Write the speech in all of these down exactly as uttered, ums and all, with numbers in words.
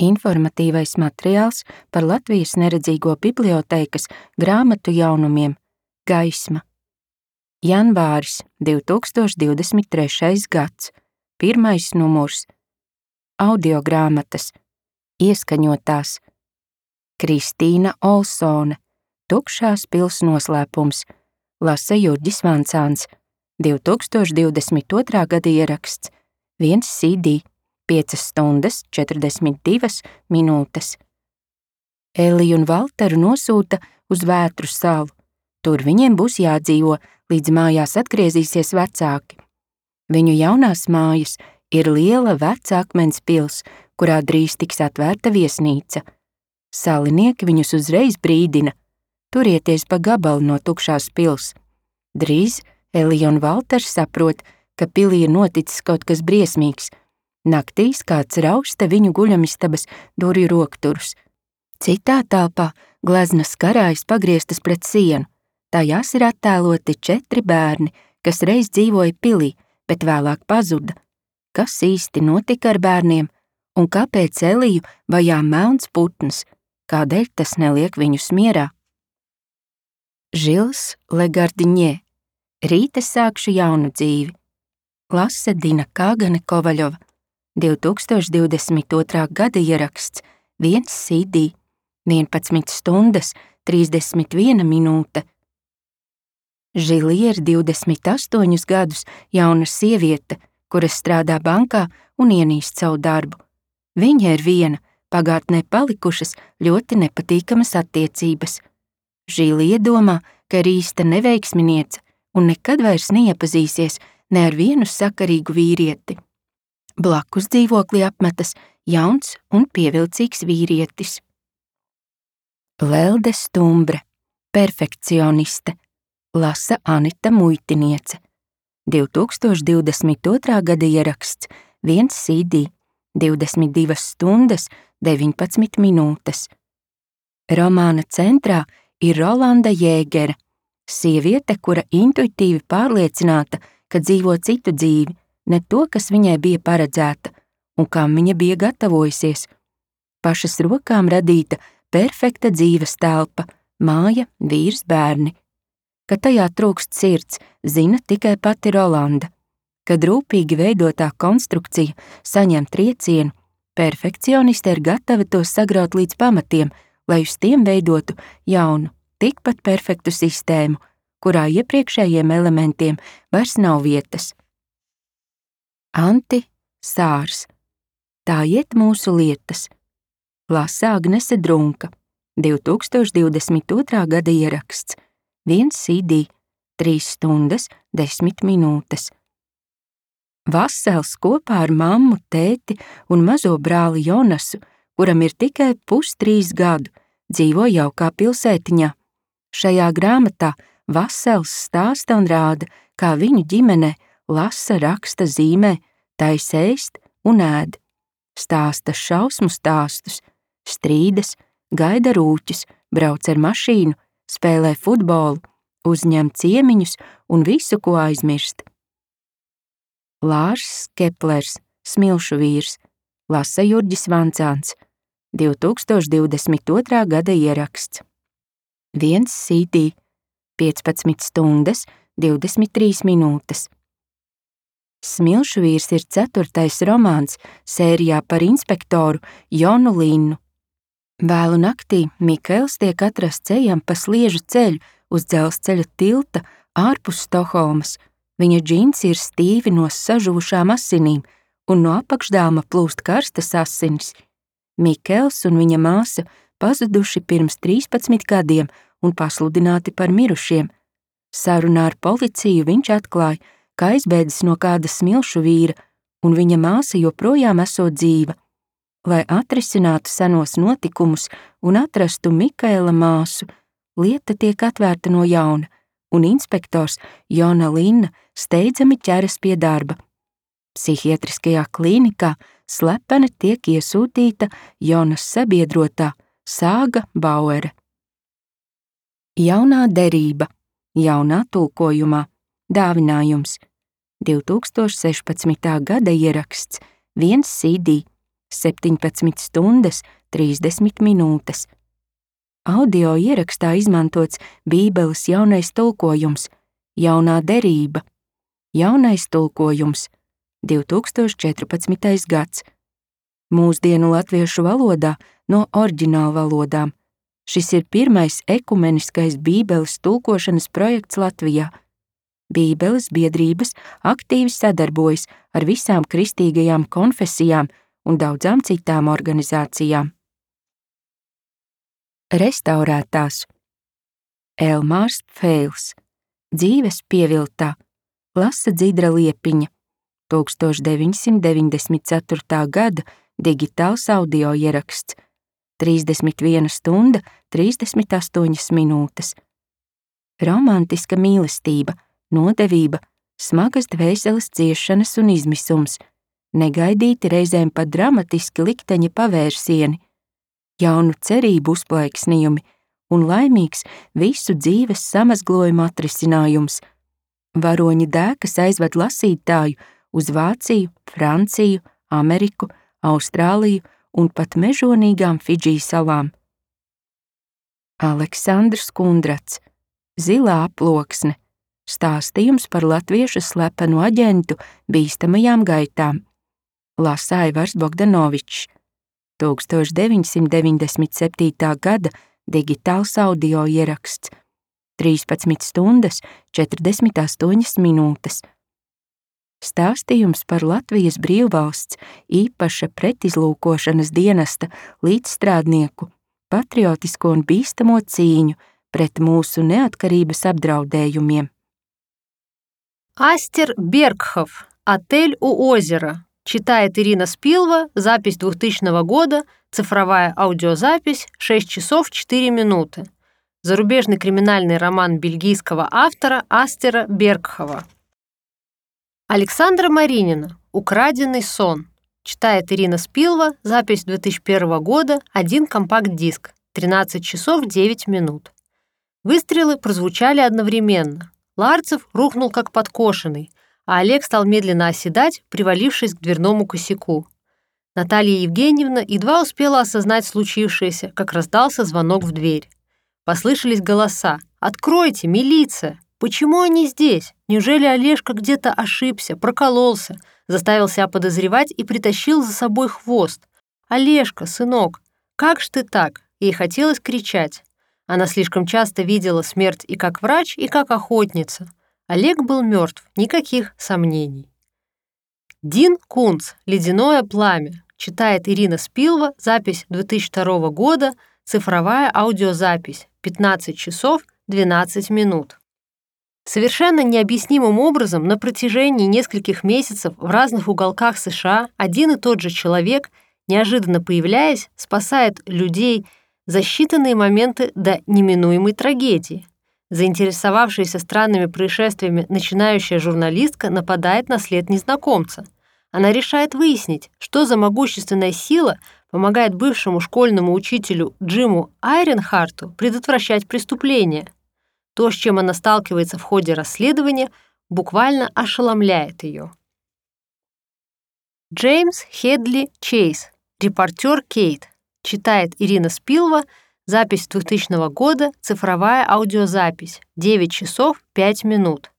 Informatīvais materiāls par Latvijas neredzīgo bibliotēkas grāmatu jaunumiem Gaisma. Janvāris divi tūkstoši divdesmit trešais gads. Pirmais numurs. Audiogrāmatas. Ieskaņotās. Kristīna Olsone. Tukšās pils noslēpums. Lasa Jurģis Vancāns. divi tūkstoši divdesmit otrā gada ieraksts. Viens C D. piecas stundas četrdesmit divas minūtes. Eliju un Valteru nosūta uz Vētru salu. Tur viņiem būs jādzīvo, līdz mājās atgriezīsies vecāki. Viņu jaunās mājas ir liela veca akmens pils, kurā drīz tiks atvērta viesnīca. Salinieki viņus uzreiz brīdina: turieties pa gabalu no tukšās pils. Drīz Elija un Valters saprot, ka pilī ir noticis kaut kas briesmīgs. Naktīs kāds rausta viņu guļamistabas durvju rokturus. Citā telpā gleznas karājas pagrieztas pret sienu. Tajās ir attēloti četri bērni, kas reiz dzīvoja pilī, bet vēlāk pazuda. Kas īsti notika ar bērniem un kāpēc Eliju vajā melns putns? Kādēļ tas neliek viņus mierā? Žils Legardiņē. Rīta sākšu jaunu dzīvi. Lase Dina Kāgane Kovaļova. divi tūkstoši divdesmit otrā gada ieraksts. Viens C D. vienpadsmit stundas trīsdesmit viena minūte. Žilija ir divdesmit astoņus gadus jauna sieviete, kura strādā bankā un ienīst savu darbu. Viņa ir viena, pagātnē palikušas ļoti nepatīkamas attiecības. Žilija domā, ka ir īsta neveiksminiece un nekad vairs neiepazīsies ne ar vienu sakarīgu vīrieti. Blakus dzīvoklī apmetas jauns un pievilcīgs vīrietis. Lelde Stumbre. Perfekcioniste. Lasa Anita Muitiniece. divi tūkstoši divdesmit otrā gada ieraksts. Viens C D. divdesmit divas stundas deviņpadsmit minūtes. Romāna centrā ir Rolanda Jēgere. Sieviete, kura intuitīvi pārliecināta, ka dzīvo citu dzīvi, ne to, kas viņai bija paredzēta un kam viņa bija gatavojusies. Pašas rokām radīta perfekta dzīves telpa, māja, vīrs, bērni. Ka tajā trūkst sirds, zina tikai pati Rolanda. Kad rūpīgi veidotā konstrukcija saņem triecienu, perfekcioniste ir gatava tos sagraut līdz pamatiem, lai uz tiem veidotu jaunu, tikpat perfektu sistēmu, kurā iepriekšējiem elementiem vairs nav vietas. Anti Sārs. Tā iet mūsu lietas. Lasa Agnese Drunka. divi tūkstoši divdesmit otrā gada ieraksts. Viens C D. Trīs stundas desmit minūtes. Vasels kopā ar mammu, tēti un mazo brāli Jonasu, kuram ir tikai pustrīs gadu, dzīvo jaukā pilsētiņā. Šajā grāmatā Vasels stāsta un rāda, kā viņu ģimene lasa, raksta, zīmē, taisa ēst un ēd. Stāsta šausmu stāstus, strīdas, gaida rūķus, brauc ar mašīnu, spēlē futbolu, uzņem ciemiņus un visu, ko aizmirst. Lārs Keplers, Smilšu vīrs. Lasa Jurģis Vancāns. divi tūkstoši divdesmit otrā gada ieraksts. Viens C D. piecpadsmit stundas divdesmit trīs minūtes. Smilšu vīrs ir ceturtais romāns sērijā par inspektoru Jonu Linnu. Vēlu naktī Mikaels tiek atrasts ejam pa sliežu ceļu uz dzelzceļa tilta ārpus Stokholmas. Viņa džins ir stīvi no sažuvušām asinīm un no apakšdāma plūst karstas asinis. Mikaels un viņa māsa pazuduši pirms trīspadsmit gadiem un pasludināti par mirušiem. Sarunā ar policiju viņš atklāja, ka aizbēdzis no kāda smilšu vīra, un viņa māsa joprojām esot dzīva. Lai atrisinātu senos notikumus un atrastu Mikaela māsu, lieta tiek atvērta no jauna, un inspektors Jona Linna steidzami ķeras pie darba. Psihiatriskajā klīnikā slepeni tiek iesūtīta Jonas sabiedrotā Sāga Bauere. Jaunā derība, jaunā tulkojumā, dāvinājums. divi tūkstoši sešpadsmitā gada ieraksts. Viens C D. septiņpadsmit stundas trīsdesmit minūtes. Audio ierakstā izmantots Bībeles jaunais tulkojums, jaunā derība, jaunais tulkojums, divi tūkstoši četrpadsmitais gads. Mūsdienu latviešu valodā no oriģināla valodām. Šis ir pirmais ekumeniskais Bībeles tulkošanas projekts Latvijā. Bībeles biedrības aktīvi sadarbojas ar visām kristīgajām konfesijām un daudzām citām organizācijām. Restaurētās. Elmārs Feils. Dzīves pieviltā. Lasa Dzidra Liepiņa. tūkstoš deviņsimt deviņdesmit ceturtā gada digitāls audio ieraksts. trīsdesmit viena stunda trīsdesmit astoņas minūtes. Romantiska mīlestība, nodevība, smagas dvēseles ciešanas un izmisums, negaidīti reizēm pat dramatiski likteņa pavērsieni, jaunu cerību uzplaiksnījumi un laimīgs visu dzīves samazglojuma atrisinājums. Varoņa dēkas aizved lasītāju uz Vāciju, Franciju, Ameriku, Austrāliju un pat mežonīgām Fidži salām. Aleksandrs Kundrats. Zilā aploksne. Stāstījums par latviešu slepenu aģentu bīstamajām gaitām. Lasa Aivars Bogdanovičs. tūkstoš deviņsimt deviņdesmit septītā gada digitāls audio ieraksts. trīspadsmit stundas četrdesmit astoņas minūtes. Stāstījums par Latvijas brīvvalsts īpaša pretizlūkošanas dienesta līdzstrādnieku, patriotisko un bīstamo cīņu pret mūsu neatkarības apdraudējumiem. Астер Бергхов. Отель у озера. Читает Ирина Спилва. Запись двухтысячного года. Цифровая аудиозапись. шесть часов четыре минуты. Зарубежный криминальный роман бельгийского автора Астера Бергхова. Александра Маринина. Украденный сон. Читает Ирина Спилва. Запись две тысячи первого года. Один компакт-диск. тринадцать часов девять минут. Выстрелы прозвучали одновременно. Ларцев рухнул как подкошенный, а Олег стал медленно оседать, привалившись к дверному косяку. Наталья Евгеньевна едва успела осознать случившееся, как раздался звонок в дверь. Послышались голоса. «Откройте, милиция! Почему они здесь? Неужели Олежка где-то ошибся, прокололся, заставил себя подозревать и притащил за собой хвост? Олежка, сынок, как ж ты так?» Ей хотелось кричать. Она слишком часто видела смерть и как врач, и как охотница. Олег был мертв, никаких сомнений. Дин Кунц. «Ледяное пламя». Читает Ирина Спилва. Запись две тысячи второго года. Цифровая аудиозапись. пятнадцать часов двенадцать минут. Совершенно необъяснимым образом на протяжении нескольких месяцев в разных уголках США один и тот же человек, неожиданно появляясь, спасает людей за считанные моменты до неминуемой трагедии. Заинтересовавшаяся странными происшествиями начинающая журналистка нападает на след незнакомца. Она решает выяснить, что за могущественная сила помогает бывшему школьному учителю Джиму Айренхарту предотвращать преступления. То, с чем она сталкивается в ходе расследования, буквально ошеломляет ее. Джеймс Хедли Чейз. Репортер Кейт. Читает Ирина Спилва. Запись двухтысячного года. Цифровая аудиозапись. девять часов пять минут.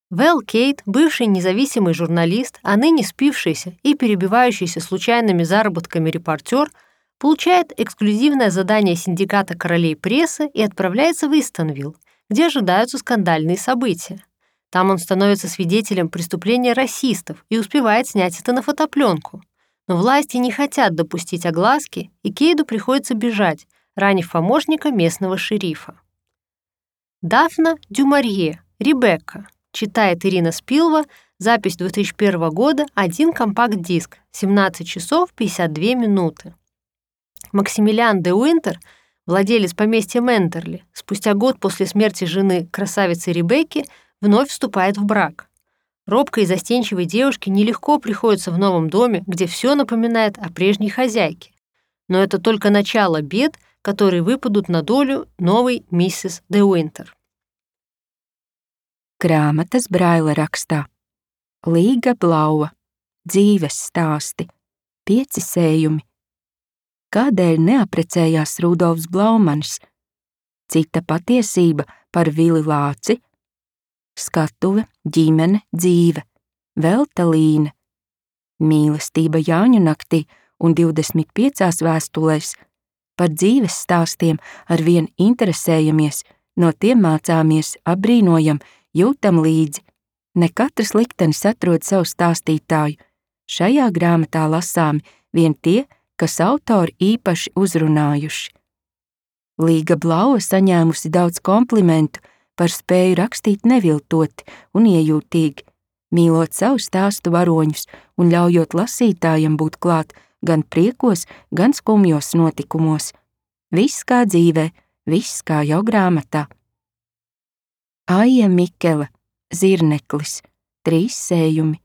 Вэл Кейт, бывший независимый журналист, а ныне спившийся и перебивающийся случайными заработками репортер, получает эксклюзивное задание синдиката королей прессы и отправляется в Истонвилл, где ожидаются скандальные события. Там он становится свидетелем преступления расистов и успевает снять это на фотопленку. Но власти не хотят допустить огласки, и Кейду приходится бежать, ранив помощника местного шерифа. Дафна Дюмарье. Ребекка. Читает Ирина Спилва. Запись две тысячи первого года. Один компакт-диск. семнадцать часов пятьдесят две минуты. Максимилиан де Уинтер, владелец поместья Ментерли, спустя год после смерти жены красавицы Ребекки, вновь вступает в брак. Робкой и застенчивой девушке нелегко приходится в новом доме, где все напоминает о прежней хозяйке. Но это только начало бед, которые выпадут на долю новой миссис де Уинтер. Grāmatas Braila rakstā. Līga Blauva. Dzīves stāsti. Pieci sējumi. Kādēļ neaprecējās Rudolfs Blaumanis? Cita patiesība par Vili Lāci. Skatuve, ģimene, dzīve. Velta Līne. Mīlestība Jāņu naktī un divdesmit piecās vēstulēs. Par dzīves stāstiem arvien interesējamies, no tiem mācāmies, apbrīnojam, jūtam līdzi. Ne katrs liktenis atrod savu stāstītāju. Šajā grāmatā lasāmi vien tie, kas autori īpaši uzrunājuši. Līga Blaua saņēmusi daudz komplimentu par spēju rakstīt neviltoti un iejūtīgi, mīlot savu stāstu varoņus un ļaujot lasītājam būt klāt gan priekos, gan skumjos notikumos. Viss kā dzīvē, viss kā jau grāmatā. Aija Mikele, Zirneklis, trīs sējumi.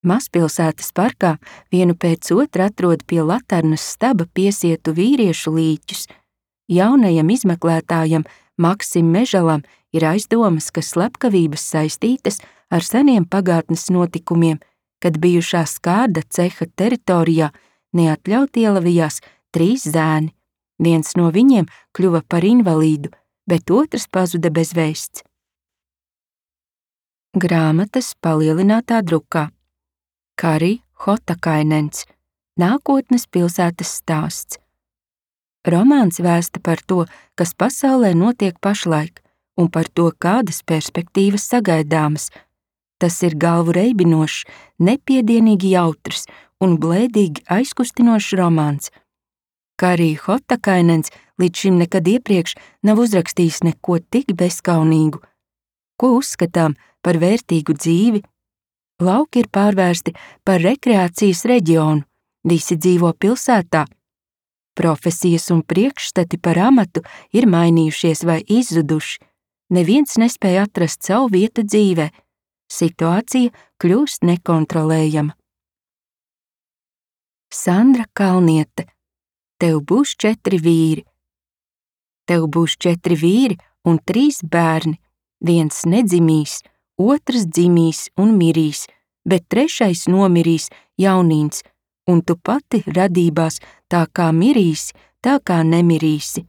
Mazpilsētas parkā vienu pēc otra atrod pie Laternas staba piesietu vīriešu līķus. Jaunajam izmeklētājam Maksim Mežalam ir aizdomas, ka slepkavības saistītas ar seniem pagātnes notikumiem, kad bijušā skārda ceha teritorijā neatļauti ielavījās trīs zēni. Viens no viņiem kļuva par invalīdu, bet otrs pazuda bez vēsts. Grāmatas palielinātā drukā. Kari Hotakainens, Nākotnes pilsētas stāsts. Romāns vēsta par to, kas pasaulē notiek pašlaik, un par to, kādas perspektīvas sagaidāmas. Tas ir galvu reibinošs, nepiedienīgi jautrs un blēdīgi aizkustinošs romāns. Kari Hotakainens līdz šim nekad iepriekš nav uzrakstījis neko tik bezkaunīgu. Ko uzskatām par vērtīgu dzīvi? Lauki ir pārvērsti par rekreācijas reģionu, visi dzīvo pilsētā. Profesijas un priekšstati par amatu ir mainījušies vai izzuduši. Neviens nespēja atrast savu vietu dzīvē. Situācija kļūst nekontrolējama. Sandra Kalniete, tev būs četri vīri. Tev būs četri vīri un trīs bērni. Viens nedzimīs, otrs dzimīs un mirīs, bet trešais nomirīs jaunīns, un tu pati radībās tā kā mirīsi, tā kā nemirīsi.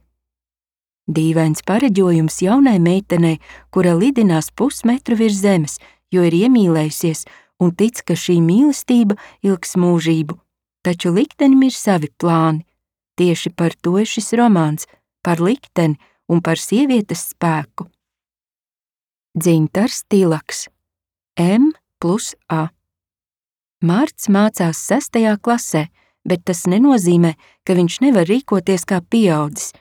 Dīvains pareģojums jaunai meitenei, kura lidinās pusmetru virs zemes, jo ir iemīlējusies un tic, ka šī mīlestība ilgs mūžību. Taču liktenim ir savi plāni. Tieši par to ir šis romāns, par likteni un par sievietes spēku. Dzintars Tilaks, M plus A. Mārts mācās sestajā klasē, bet tas nenozīmē, ka viņš nevar rīkoties kā pieaudzis.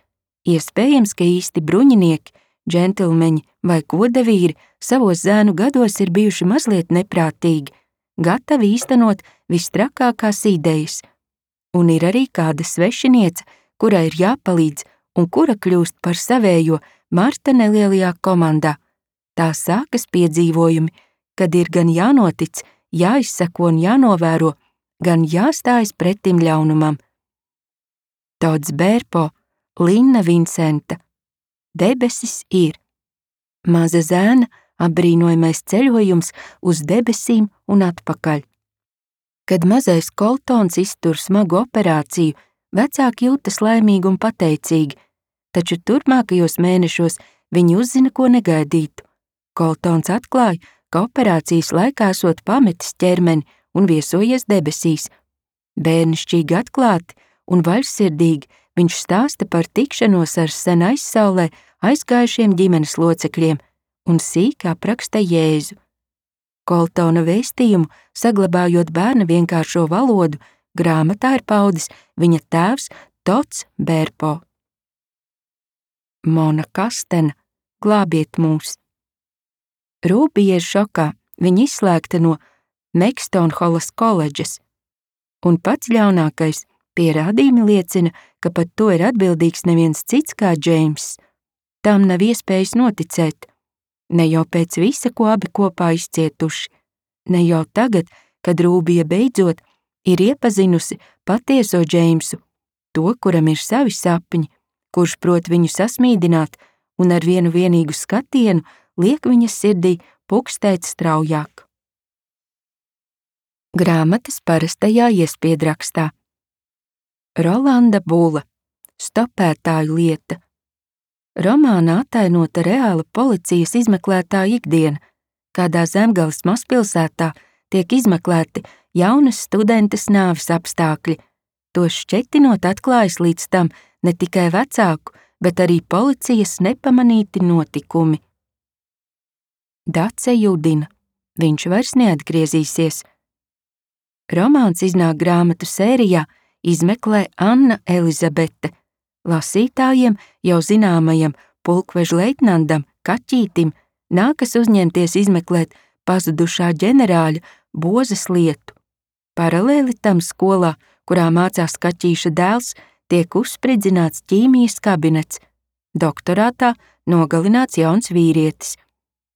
Iespējams, ka īsti bruņinieki, džentilmeņi vai godavīri savos zēnu gados ir bijuši mazliet neprātīgi, gatavi īstenot vistrakākās idejas. Un ir arī kāda svešiniece, kurai ir jāpalīdz un kura kļūst par savējo Marta nelielajā komandā. Tā sākas piedzīvojumi, kad ir gan jānotic, jāizsako un jānovēro, gan jāstājas pretim ļaunumam. Tots Bērpo, Linna Vincenta. Debesis ir. Maza zēna apbrīnojamais ceļojums uz debesīm un atpakaļ. Kad mazais Koltons iztur smagu operāciju, vecāki jūtas laimīgi un pateicīgi, taču turpmākajos mēnešos viņi uzzina, ko negaidītu. Koltons atklāja, ka operācijas laikā esot pametis ķermeni un viesojies debesīs. Bērnišķīgi atklāti un vaļsirdīgi viņš stāsta par tikšanos ar sen aizsaulē aizgājušiem ģimenes locekļiem un sīk apraksta Jēzu. Koltona vēstījumu, saglabājot bērna vienkāršo valodu, grāmatā ir paudis viņa tēvs Tots Bērpo. Mona Kastena, glābiet mūs. Rūbija ir šokā, viņa izslēgta no Mekstonholas koledžas. Un pats ļaunākais, pierādījumi liecina, ka pat to ir atbildīgs neviens cits kā Džeimss. Tam nav iespējas noticēt. Ne jau pēc visa, ko abi kopā izcietuši. Ne jau tagad, kad Rūbija beidzot ir iepazinusi patieso Džeimsu, to, kuram ir savi sapņi, kurš prot viņu sasmīdināt un ar vienu vienīgu skatienu liek viņas sirdī pukstēt straujāk. Grāmatas parastajā iespiedrakstā. Rolanda Bula, Stopētāju lieta. Romānā atainota reāla policijas izmeklētāja ikdiena, kādā Zemgales mazpilsētā tiek izmeklēti jaunas studentes nāves apstākļi. Tos šķetinot atklājas līdz tam ne tikai vecāku, bet arī policijas nepamanīti notikumi. Dace judina, viņš vairs neatgriezīsies. Romāns iznāk grāmatu sērijā Izmeklē Anna Elizabete, lasītājiem jau zināmajam pulkveža leitnantam Kaķītim nākas uzņemties izmeklēt pazudušā ģenerāļa Bozes lietu. Paralēli tam skolā, kurā mācās Kaķīša dēls, tiek uzspridzināts ķīmijas kabinets. Doktorātā nogalināts jauns vīrietis.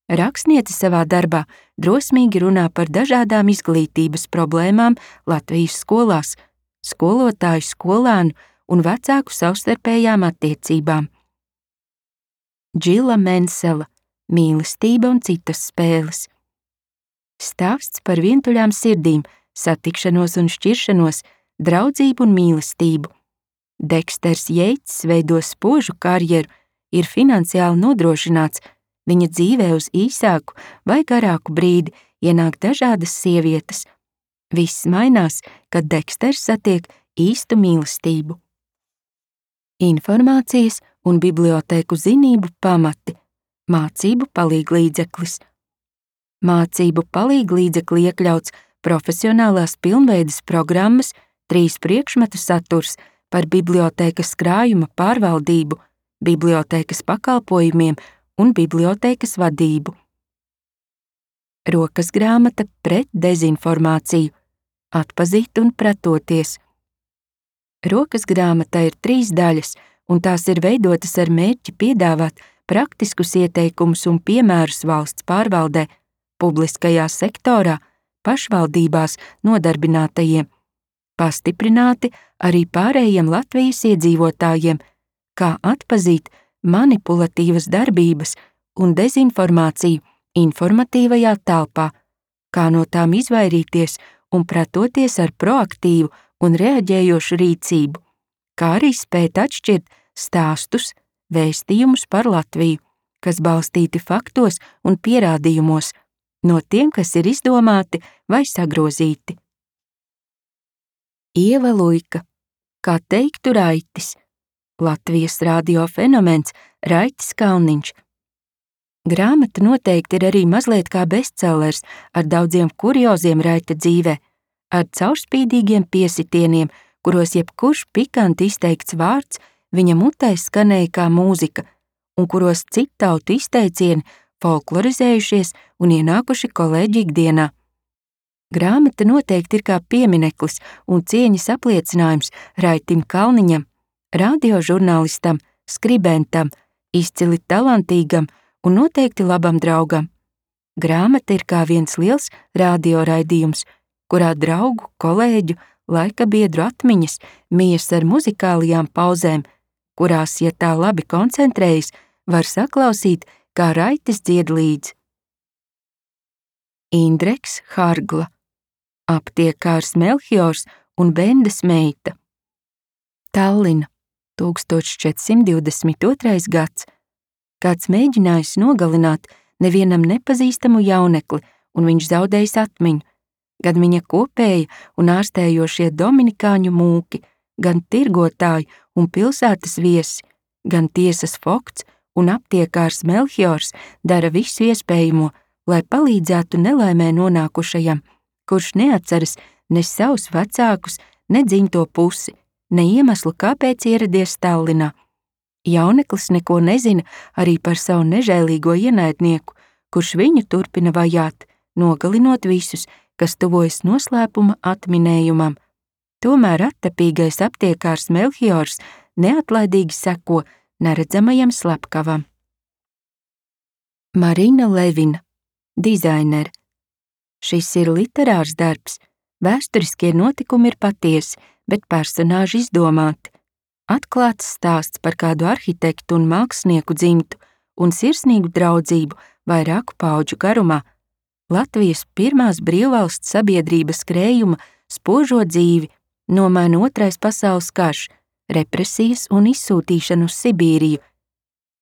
Rakstniece savā darbā drosmīgi runā par dažādām izglītības problēmām Latvijas skolās, skolotāju, skolēnu un vecāku savstarpējām attiecībām. Džila Mensela, mīlestība un citas spēles. Stāsts par vientuļām sirdīm, satikšanos un šķiršanos, draudzību un mīlestību. Deksters Jeits veido spožu karjeru, ir finansiāli nodrošināts, viņa dzīvē uz īsāku vai garāku brīdi ienāk dažādas sievietes. Viss mainās, kad Deksters satiek īstu mīlestību. Informācijas un bibliotēku zinību pamati, mācību palīglīdzeklis. Mācību palīglīdzekli iekļauts profesionālās pilnveides programmas, trīs priekšmetu saturs par bibliotēkas krājuma pārvaldību, bibliotēkas pakalpojumiem un bibliotēkas vadību. Rokas grāmata pret dezinformāciju, atpazīt un pretoties. Rokas grāmata ir trīs daļas, un tās ir veidotas ar mērķi piedāvāt praktiskus ieteikumus un piemērus valsts pārvaldē, publiskajā sektorā, pašvaldībās nodarbinātajiem, pastiprināti arī pārējiem Latvijas iedzīvotājiem, kā atpazīt manipulatīvas darbības un dezinformāciju informatīvajā telpā, kā no tām izvairīties un pretoties ar proaktīvu un reaģējošu rīcību, kā arī spēt atšķirt stāstus, vēstījumus par Latviju, kas balstīti faktos un pierādījumos, no tiem, kas ir izdomāti vai sagrozīti. Ieva Luika, kā teiktu Raitis, Latvijas radio fenomens Raitis Kalniņš. Grāmata noteikti ir arī mazliet kā bestsellers ar daudziem kurioziem Raita dzīvē, ar caurspīdīgiem piesitieniem, kuros jebkurš pikanti izteikts vārds viņa mutē skanēja kā mūzika, un kuros citautu izteicieni folklorizējušies un ienākuši kolēģi ikdienā. Grāmata noteikti ir kā piemineklis un cieņas apliecinājums Raitim Kalniņam, radiožurnālistam, skribentam, izcili talantīgam un noteikti labam draugam. Grāmata ir kā viens liels radioraidījums, kurā draugu, kolēģu, laika biedru atmiņas mijas ar muzikālajām pauzēm, kurās, ja tā labi koncentrējas, var saklausīt, kā Raitis dzied līdzi. Indreks Hargla, aptiekārs Melchiors un Bendes meita. Tallina, tūkstoš četri simti divdesmit otrais gads. Kāds mēģinājis nogalināt nevienam nepazīstamu jaunekli, un viņš zaudējis atmiņu, gan viņa kopēja un ārstējošie dominikāņu mūki, gan tirgotāji un pilsētas viesi, gan tiesas Fokts un aptiekārs Melchiors dara visu iespējamo, lai palīdzētu nelaimē nonākušajam, kurš neatceras ne savus vecākus, ne dzimto pusi, ne iemeslu, kāpēc ieradies Tallinā. Jauneklis neko nezina arī par savu nežēlīgo ienaidnieku, kurš viņu turpina vajāt, nogalinot visus, kas tuvojas noslēpuma atminējumam. Tomēr attapīgais aptiekārs Melchiors neatlaidīgi seko neredzamajam slepkavam. Marina Levina, dizainere. Šis ir literārs darbs, vēsturiskie notikumi ir patiesi, bet personāži izdomāti. Atklāts stāsts par kādu arhitektu un mākslinieku dzimtu un sirsnīgu draudzību vairāku paudžu garumā. Latvijas pirmās brīvvalsts sabiedrības skrējuma spožo dzīvi nomaina Otrais pasaules karš, represijas un izsūtīšanu uz Sibīriju,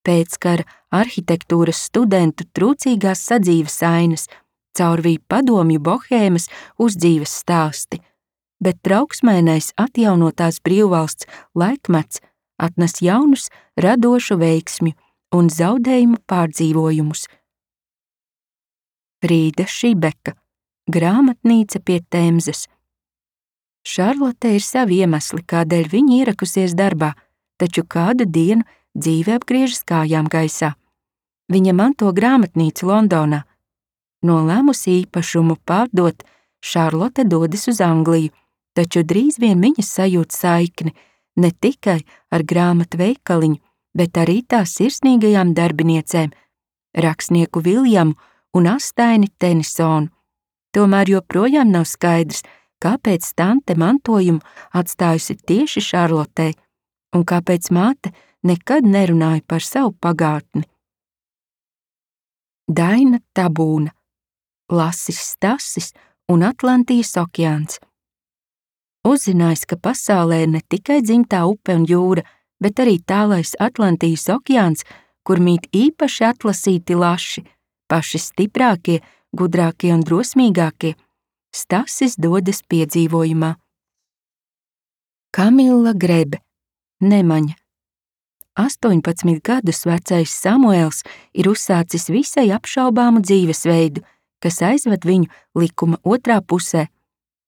pēckara arhitektūras studentu trūcīgās sadzīves ainas, caurvīja padomju bohēmas uzdzīves stāsti, bet trauksmainais atjaunotās brīvvalsts laikmets atnes jaunus radošu veiksmju un zaudējumu pārdzīvojumus. Frīda Šibeka, Grāmatnīca pie Temzes. Šarlote ir savi iemesli, kādēļ viņa ierakusies darbā, taču kādu dienu dzīve apgriežas kājām gaisā. Viņa manto grāmatnīcu Londonā. Nolēmusi īpašumu pārdot, Šarlote dodas uz Angliju, taču drīz vien viņa sajūt saikni ne tikai ar grāmatu veikaliņu, bet arī tās sirsnīgajām darbiniecēm, rakstnieku Viljamu un astaini Tenisonu. Tomēr joprojām nav skaidrs, kāpēc tante mantojumu atstājusi tieši Šarlotei un kāpēc māte nekad nerunāja par savu pagātni. Daina Tabūna, Lasis Stasis un Atlantijas okeāns. Uzzinājis, ka pasaulē ir ne tikai dzimtā upe un jūra, bet arī tālais Atlantijas okeāns, kur mīt īpaši atlasīti laši, paši stiprākie, gudrākie un drosmīgākie, Stasis dodas piedzīvojumā. Kamila Grebe, Nemaņa. astoņpadsmit gadus vecais Samuēls ir uzsācis visai apšaubāmu dzīvesveidu, kas aizved viņu likuma otrā pusē.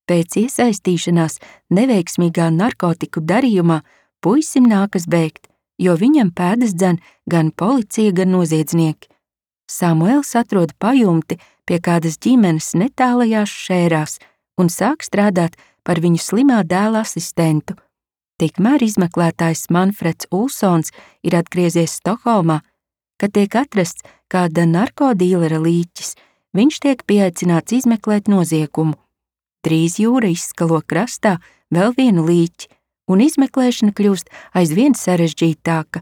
Pēc iesaistīšanās neveiksmīgā narkotiku darījumā puisim nākas bēgt, jo viņam pēdas dzen gan policija, gan noziedznieki. Samuēls atrod pajumti pie kādas ģimenes netālajās Šērās un sāk strādāt par viņu slimā dēla asistentu. Tikmēr izmeklētājs Manfreds Ulsons ir atgriezies Stokholmā, kad tiek atrasts kāda narkodīlera līķis, viņš tiek pieaicināts izmeklēt noziegumu. Drīz jūra izskalo krastā vēl vienu līķi, un izmeklēšana kļūst aizvien sarežģītāka,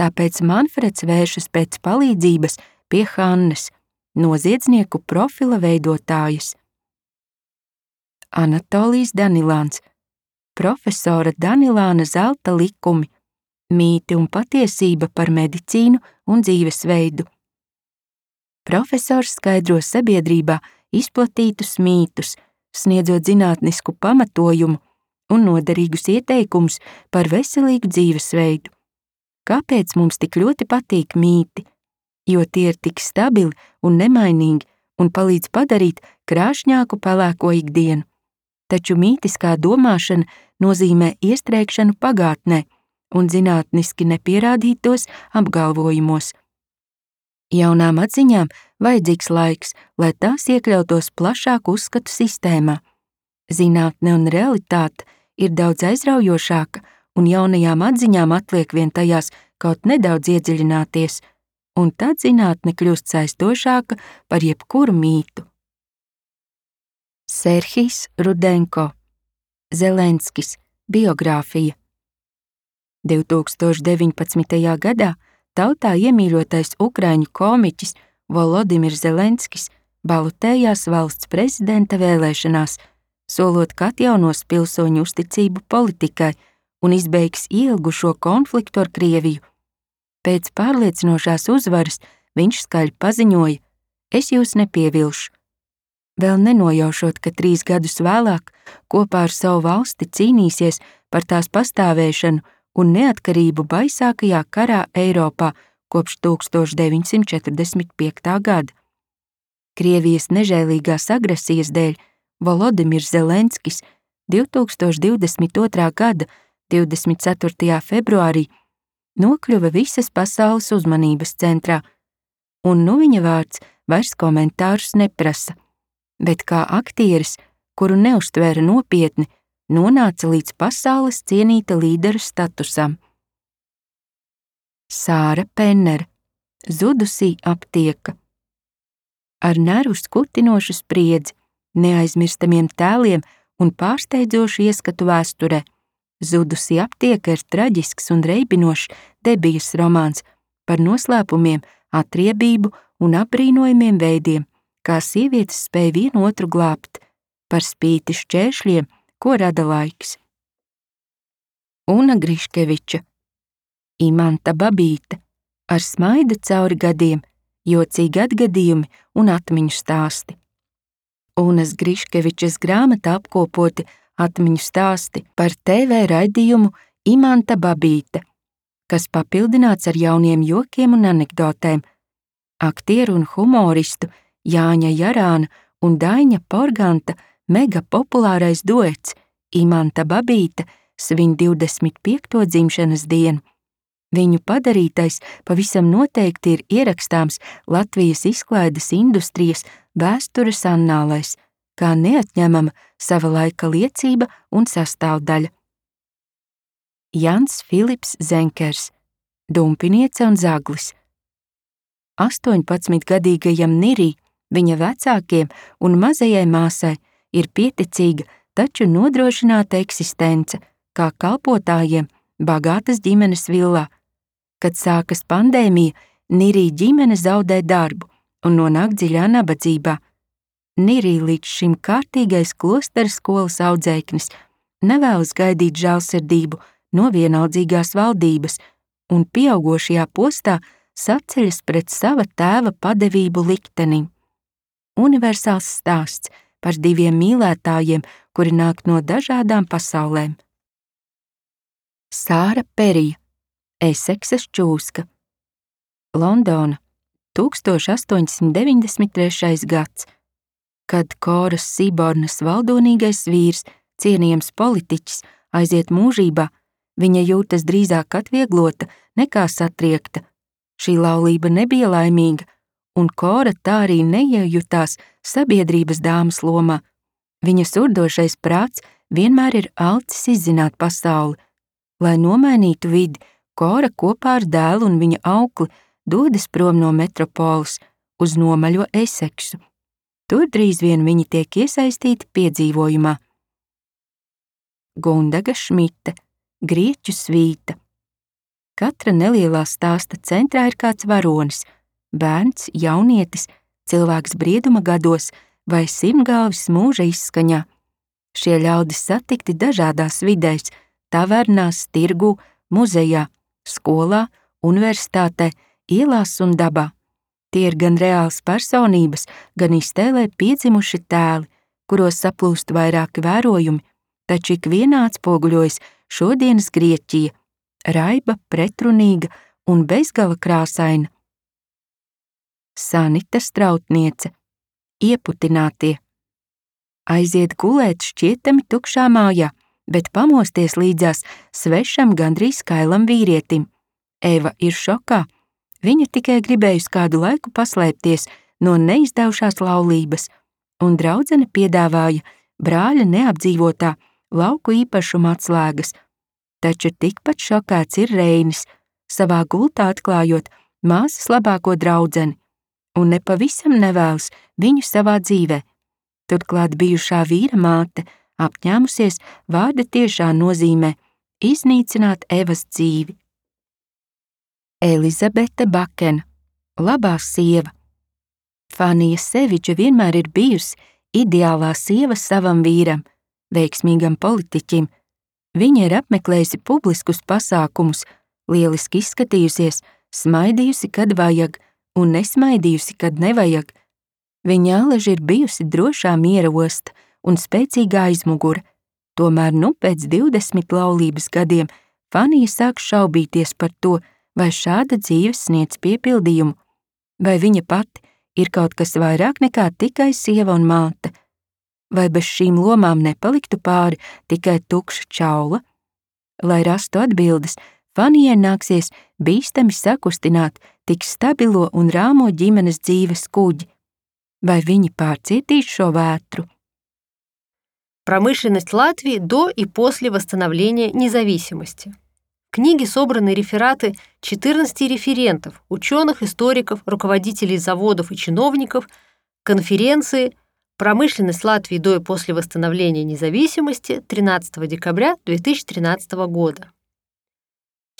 tāpēc Manfreds vēršas pēc palīdzības pie Hannes, noziedznieku profila veidotājas. Anatolijs Danilāns, profesora Danilāna zelta likumi, mīti un patiesība par medicīnu un dzīvesveidu. Profesors skaidro sabiedrībā izplatītus mītus, sniedzot zinātnisku pamatojumu un noderīgus ieteikumus par veselīgu dzīvesveidu. Kāpēc mums tik ļoti patīk mīti? Jo tie ir tik stabili un nemainīgi un palīdz padarīt krāšņāku pelēko ikdienu. Taču mītiskā domāšana nozīmē iestrēgšanu pagātnē un zinātniski nepierādītos apgalvojumos. Jaunām atziņām vajadzīgs laiks, lai tās iekļautos plašāku uzskatu sistēmā. Zinātne un realitāte ir daudz aizraujošāka, un jaunajām atziņām atliek vien tajās kaut nedaudz iedziļināties, un tad zinātne kļūst saistošāka par jebkuru mītu. Serhijs Rudenko, Zelenskis, biogrāfija. divtūkstoš deviņpadsmitajā gadā tautā iemīļotais ukraiņu komiķis Volodimirs Zelenskis balotējās valsts prezidenta vēlēšanās, solot, ka atjaunos pilsoņu uzticību politikai un izbeigs ilgušo konfliktu ar Krieviju. Pēc pārliecinošās uzvaras viņš skaļi paziņoja: es jūs nepievilšu. Vēl nenojaušot, ka trīs gadus vēlāk kopā ar savu valsti cīnīsies par tās pastāvēšanu un neatkarību baisākajā karā Eiropā kopš tūkstoš deviņsimt četrdesmit piektā gada. Krievijas nežēlīgās agresijas dēļ Volodimirs Zelenskis divtūkstoš divdesmit otrā gada divdesmit ceturtajā februārī nokļuva visas pasaules uzmanības centrā, un nu viņa vārds vairs komentārus neprasa, bet kā aktieris, kuru neuztvēra nopietni, nonāca līdz pasaules cienīta līdera statusam. Sāra Pennere, Zudusī aptieka. Ar nervu skutinošu spriedzi, neaizmirstamiem tēliem un pārsteidzošu ieskatu vēsturē, Zudusī aptieka ir traģisks un reibinošs debijas romāns par noslēpumiem, atriebību un apbrīnojumiem veidiem, kā sievietes spēja vienu otru glābt, par spīti šķēršļiem, ko rada laiks. Una Griškeviča, Imanta Babīte, ar smaidu cauri gadiem, jocīgi atgadījumi un atmiņu stāsti. Unas Griškevičas grāmatā apkopoti atmiņu stāsti par T V raidījumu Imanta Babīte, kas papildināts ar jauniem jokiem un anekdotēm. Aktieru un humoristu Jāņa Jarāna un Daiņa Porganta mega populārais duets Imanta Babīte svin divdesmit piekto dzimšanas dienu. Viņu padarītais pavisam noteikti ir ierakstāms Latvijas izklaides industrijas vēstures annālēs, kā neatņemama sava laika liecība un sastāvdaļa. Jans Filips Zenkers, Dumpiniece un zaglis. astoņpadsmitgadīgajam Nirī, viņa vecākiem un mazajai māsai ir pieticīga, taču nodrošināta eksistence, kā kalpotājiem bagātas ģimenes villā. Kad sākas pandēmija, Nirī ģimene zaudē darbu un nonāk dziļā nabadzībā. Nirī līdz šim kārtīgais klostera skolas audzēknis nevēlas gaidīt žēlsirdību no vienaldzīgās valdības un pieaugošajā postā saceļas pret sava tēva padevību liktenim. Universāls stāsts par diviem mīlētājiem, kuri nāk no dažādām pasaulēm. Sāra Perija, Eseksas čūska. Londona, tūkstoš astoņsimt deviņdesmit trešais gads, kad Koras Sibornas valdonīgais vīrs, cienījams politiķis, aiziet mūžībā, viņa jūtas drīzāk atvieglota nekā satriekta. Šī laulība nebija laimīga, un Kora tā arī neiejutās sabiedrības dāmas lomā. Viņas urdošais prāts vienmēr ir alcis izzināt pasauli. Lai nomainītu vidi, Kora kopā ar dēlu un viņa aukli dodas prom no metropoles uz nomaļo Eseksu. Tur drīz vien viņi tiek iesaistīti piedzīvojumā. Gundaga Šmite, Grieķu svīta. Katra nelielā stāsta centrā ir kāds varonis, bērns, jaunietis, cilvēks brieduma gados vai simtgalvis mūža izskaņā. Šie ļaudis satikti dažādās vidēs, tavernās, tirgū, muzejā, skolā, universitātē, ielās un dabā. Tie ir gan reāls personības, gan iztēlē piedzimuši tēli, kuros saplūst vairāki vērojumi, taču ik vienā atspoguļojas šodienas Grieķija, raiba, pretrunīga un bezgala krāsaina. Sanita Strautniece, Ieputinātie. Aiziet gulēt šķietami tukšā mājā, bet pamosties līdzās svešam gandrīz skailam vīrietim. Eva ir šokā. Viņa tikai gribējusi kādu laiku paslēpties no neizdevušās laulības, un draudzene piedāvāja brāļa neapdzīvotā lauku īpašuma atslēgas. Taču tikpat šokēts ir Reinis, savā gultā atklājot māsas labāko draudzeni, un nepavisam nevēlas viņu savā dzīvē. Turklāt bijušā vīra māte apņēmusies vārda tiešā nozīmē iznīcināt Evas dzīvi. Elizabete Bakena, labā sieva. Fanija Seviča vienmēr ir bijusi ideālā sieva savam vīram, veiksmīgam politiķim. Viņa ir apmeklējusi publiskus pasākumus, lieliski izskatījusies, smaidījusi, kad vajag, un nesmaidījusi, kad nevajag. Viņa aleži ir bijusi drošā miera osta un spēcīga aizmugure, tomēr nu pēc divdesmit laulības gadiem Fanija sāk šaubīties par to, vai šāda dzīve sniedz piepildījumu, vai viņa pati ir kaut kas vairāk nekā tikai sieva un māte, vai bez šīm lomām nepaliktu pāri tikai tukša čaula. Lai rastu atbildes, Fanijai nāksies bīstami sakustināt tik stabilo un rāmo ģimenes dzīves kuģi. Vai viņi pārcietīs šo vētru? Промышленность Латвии до и после восстановления независимости. В книге собраны рефераты четырнадцати референтов, ученых, историков, руководителей заводов и чиновников, конференции «Промышленность Латвии до и после восстановления независимости» тринадцатого декабря две тысячи тринадцатого года.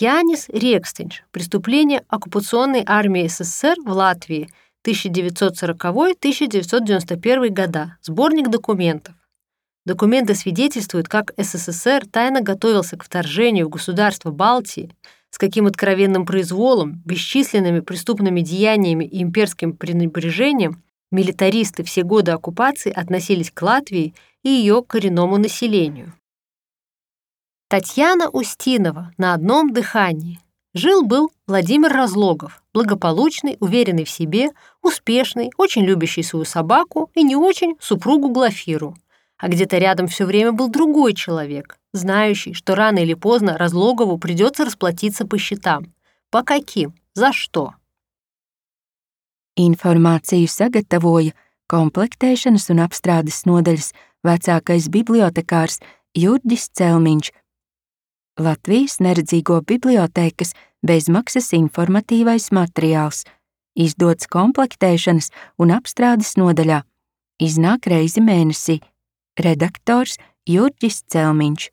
Jānis Rieksteņš. Преступление оккупационной армии СССР в Латвии тысяча девятьсот сороковой — тысяча девятьсот девяносто первый года. Сборник документов. Документы свидетельствуют, как СССР тайно готовился к вторжению в государства Балтии, с каким откровенным произволом, бесчисленными преступными деяниями и имперским пренебрежением милитаристы все годы оккупации относились к Латвии и ее коренному населению. Татьяна Устинова на одном дыхании. Жил-был Владимир Разлогов, благополучный, уверенный в себе, успешный, очень любящий свою собаку и не очень супругу Глафиру. А где-то рядом все время был другой человек, знающий, что рано или поздно Разлогову придется расплатиться по счетам. По каким? За что? Informāciju sagatavoja komplektēšanas un apstrādes nodaļas vecākais bibliotekārs Jurģis Celmiņš, Latvijas neredzīgo bibliotēkas bezmaksas informatīvais materiāls, izdots komplektēšanas un apstrādes nodaļā, iznāk reizi mēnesī, redaktors Jurģis Celmiņš.